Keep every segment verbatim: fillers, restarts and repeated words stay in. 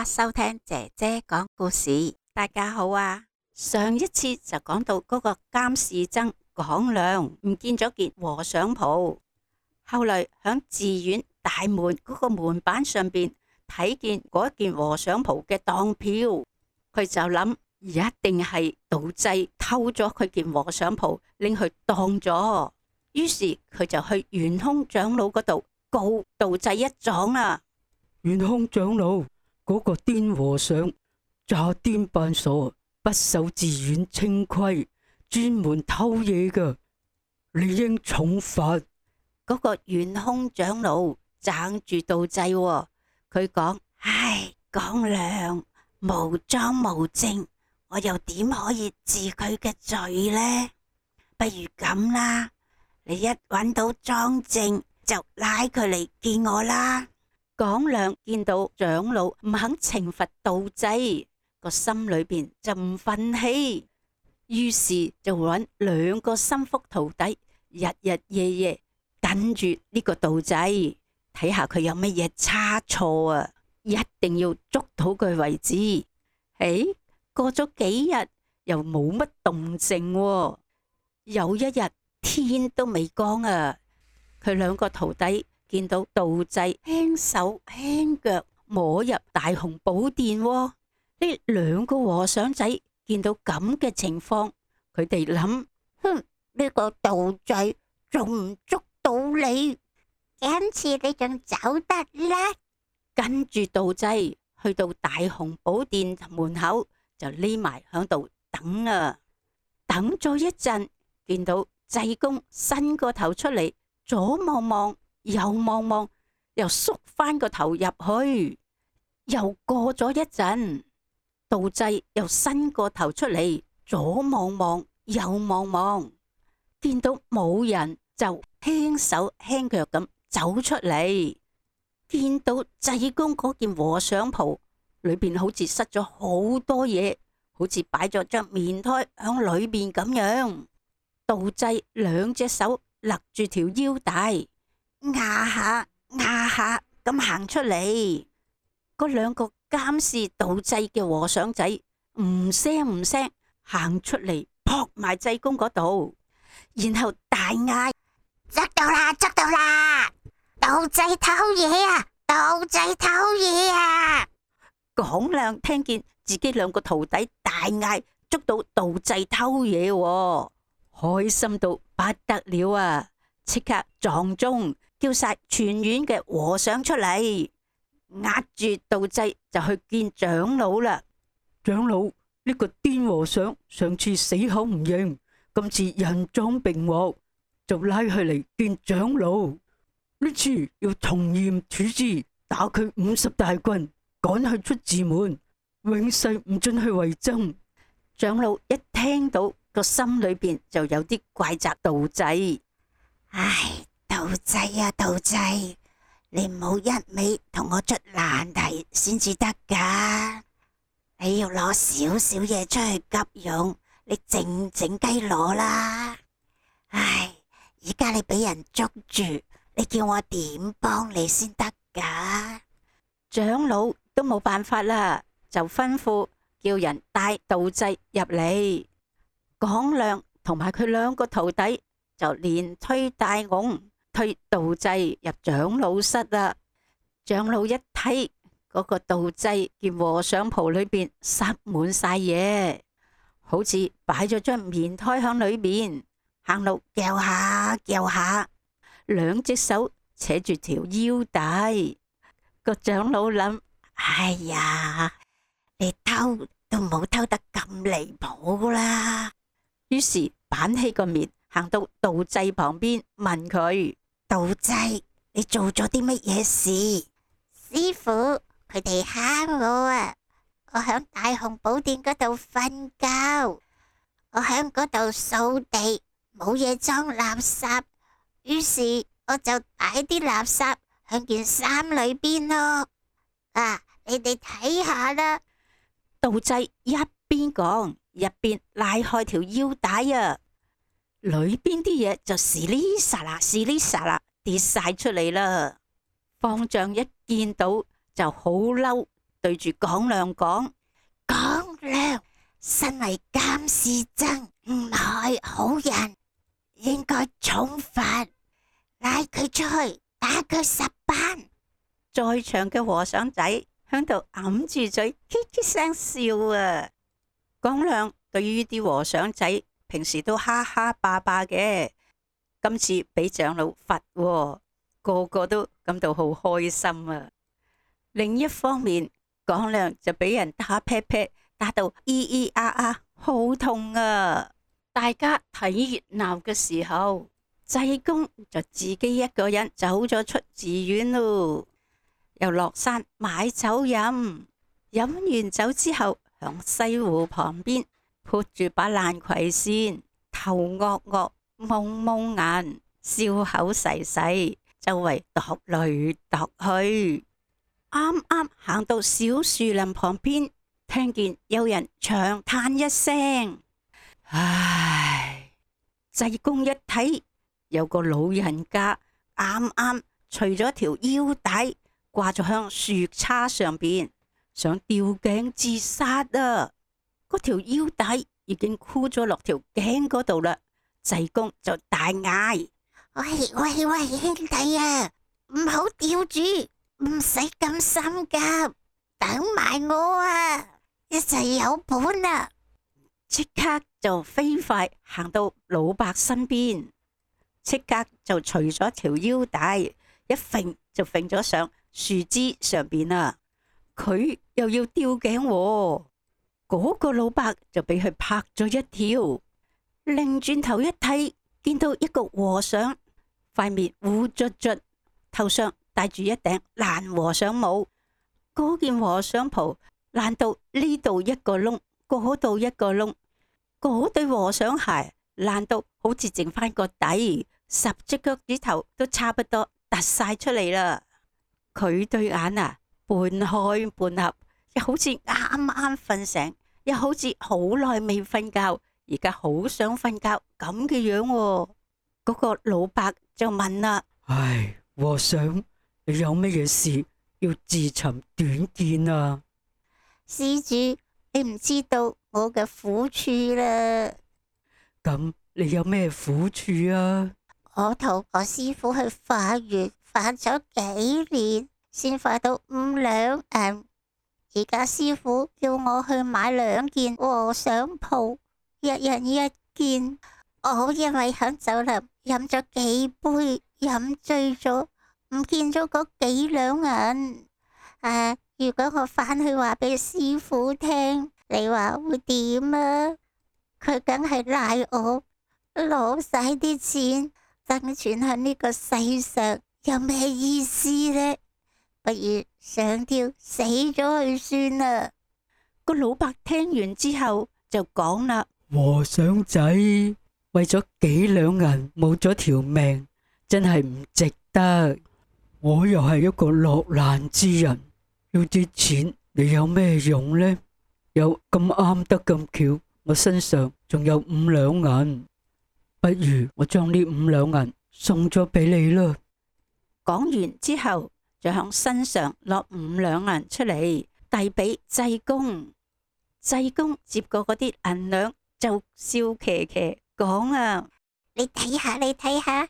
啦，收聽姐姐講故事。大家好啊！上一次就講到嗰個監視僧廣亮唔見咗件和尚袍，後來響寺院大門嗰個門板上邊睇見嗰件和尚袍嘅當票，佢就諗一定係道濟偷咗佢件和尚袍拎去當咗，於是佢就去圓空長老嗰度告道濟一狀啦。圓空長老，嗰、那個癲和尚詐癲扮傻，不守寺院清規，專門偷嘢噶，理應重罰。嗰個圓空長老撐住道濟，佢講：唉，廣亮無贓無證，我又點可以治佢嘅罪呢？不如咁啦，你一揾到贓證就拉佢嚟見我啦。廣亮見到長老唔肯懲罰道濟，個心裏邊就唔忿氣，於是就揾兩個心腹徒弟，日日夜夜跟住呢個道濟，睇下佢有乜嘢差錯啊，一定要捉到佢為止。誒，過咗幾日又冇乜動靜喎，有一日天都未光啊，佢兩個徒弟見到道濟輕手輕腳摸入大雄寶殿，呢兩個和尚仔見到咁嘅情況，佢哋諗：哼，呢個道濟仲唔捉到你？今次你仲走得甩？跟住道濟去到大雄寶殿門口，就匿埋響度等啊！等咗一陣，見到濟公伸個頭出嚟，左望望，又望望，又縮翻個頭入去。又過咗一陣，道濟又伸個頭出嚟，左望望，右望望，見到冇人，就輕手輕腳咁走出嚟。見到濟公嗰件和尚袍裏邊好似塞咗好多嘢，好似擺咗張棉胎響裏邊咁樣。道濟兩隻手勒住條腰帶，壓下壓下咁行出嚟。嗰兩個監視道濟嘅和尚仔唔聲唔聲行出嚟，撲埋濟公嗰度，然後大嗌：捉到啦，捉到啦！道濟偷嘢啊！道濟偷嘢啊！廣亮聽見自己兩個徒弟大嗌捉到道濟偷嘢，開心到不得了啊！即刻撞鐘叫晒全院嘅和尚出嚟，壓住道濟就去見長老啦。長老，呢、這個癲和尚上次死口唔認，今次人贓並獲，就拉佢嚟見長老。呢次要從嚴處置，打佢五十大棍，趕佢出寺門，永世唔准去為僧。長老一聽到，個心裏邊就有啲怪責道濟。唉，道濟啊，道濟，你唔好一味同我出難題先至得噶。你要攞少少嘢出去急用，你靜靜雞攞啦。唉，而家你俾人捉住，你叫我點幫你先得噶？長老都冇辦法啦，就吩咐叫人帶道濟入嚟。廣亮同埋佢兩個徒弟就連推帶拱推道濟入長老室啦。長老一睇嗰個道濟件和尚袍裏邊塞滿晒嘢，好似擺咗張棉胎響裏面，行路叫下叫下，兩隻手扯住條腰帶。個長老諗：哎呀，你偷都冇偷得咁離譜啦。於是板起個面，行到道濟旁邊問佢：道濟，你做咗啲乜嘢事？師父，佢哋蝦我啊！我響大雄寶殿嗰度瞓覺，我響嗰度掃地，冇嘢裝垃圾，於是我就擺啲垃圾響件衫裏邊咯。啊，你哋睇下啦！道濟一邊講，一邊拉開條腰帶啊，裏邊啲嘢就嘶哩沙啦嘶哩沙啦跌晒出嚟啦。方丈一見到就好嬲，對住廣亮講：廣亮，身為監視僧唔係好人，應該重罰，拉佢出去打佢十板。在場嘅和尚仔響度揞住嘴，嘻嘻聲笑啊！廣亮對於啲和尚仔平時都哈哈霸霸嘅，今次俾長老罰喎，個個都感到好開心啊！另一方面，廣亮就俾人打劈劈，打到咿咿呀呀，好痛啊！大家睇熱鬧嘅時候，濟公就自己一個人走咗出寺院咯，又落山買酒飲，飲完酒之後，響西湖旁邊潑住把爛葵扇，頭惡惡，蒙蒙眼，笑口噬噬，周圍踱來踱去。啱啱行到小樹林旁邊，聽見有人長嘆一聲：唉！濟公一睇，有個老人家啱啱除咗條腰帶，掛咗響樹叉上邊，想吊頸自殺啊！嗰條腰帶已經箍咗落條頸嗰度啦。濟公就大嗌：喂喂喂，兄弟啊，唔好吊住，唔使咁心急，等埋我啊，一齊有本啊！即刻就飛快行到老伯身邊，即刻就除咗條腰帶，一揈就揈咗上樹枝上邊啦。佢又要吊頸喎，嗰個老伯就俾佢拍咗一跳，擰轉頭一睇，見到一個和尚，塊面烏卒卒，頭上戴住一頂爛和尚帽，嗰件和尚袍爛到呢度一個窿，嗰度一個窿，嗰對和尚鞋爛到好似剩翻個底，十隻腳趾頭都差不多突晒出嚟啦。佢對眼啊，半開半合，又好似啱啱瞓醒，又好似好耐未瞓覺，而家好想瞓覺咁嘅樣喎。嗰個老伯就問啦：唉，和尚，你有乜嘢事要自尋短見啊？施主，你唔知道我嘅苦處啦。咁你有咩苦處啊？我同我師父去化緣，化咗幾年，先化到五兩銀。而家師父叫我去買兩件和尚袍，一人一件。我因為響酒樓飲咗幾杯，飲醉咗，唔見咗嗰幾兩銀。啊！如果我返去話俾師父聽，你話會點啊？佢梗係賴我攞晒啲錢，生存喺呢個世上有咩意思呢？不如上吊死咗去算啦！個老伯聽完之後就講啦：和尚仔，為咗幾兩銀冇咗條命，真係唔值得。我又係一個落難之人，要啲錢你有咩用呢？又咁啱得咁巧，我身上仲有五兩銀，不如我將呢五兩銀送咗俾你啦。講完之後，就向身上攞五兩銀出嚟，遞俾濟公。濟公接過嗰啲銀兩，就笑騎騎講啊：你睇下，你睇下，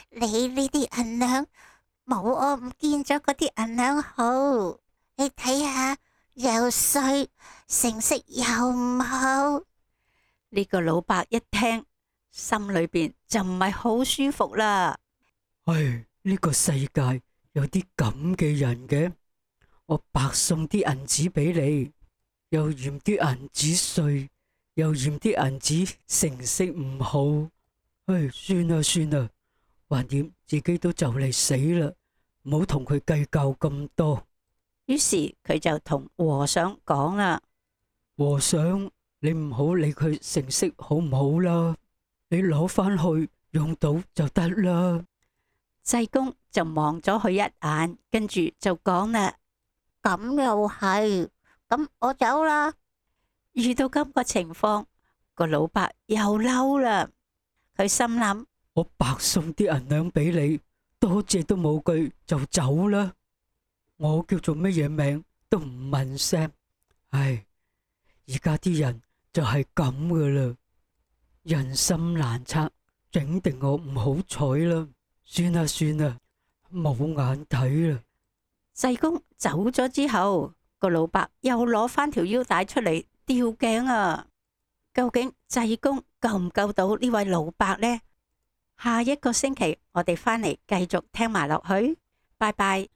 你呢啲銀兩冇我唔見咗嗰啲銀兩好。你睇下，又碎，成色又唔好。呢個老伯一聽，心裏邊就唔係好舒服啦。唉，呢個世界有啲咁嘅人嘅，我白送啲銀紙俾你，又嫌啲銀紙碎，又嫌啲銀紙成色唔好。唉，算啦算啦，橫掂自己都就嚟死啦，唔好同佢計較咁多。於是佢就同和尚講啦：和尚，你唔好理佢成色好唔好啦，你攞翻去用到就得啦。濟公就望咗佢一眼，跟住就講啦：咁又係，咁我走啦。遇到咁個情況，個老伯又嬲啦。佢心諗：我白送啲銀兩俾你，多謝都冇句就走啦。我叫做乜嘢名？都唔問聲。唉，而家啲人就係咁噶啦，人心難測，整定我唔好彩啦。算啦算啦，冇眼睇啦。濟公走咗之後，個老伯又攞翻條腰帶出嚟吊頸啊！究竟濟公救唔救到呢位老伯呢？下一個星期我哋翻嚟繼續聽埋落去，拜拜。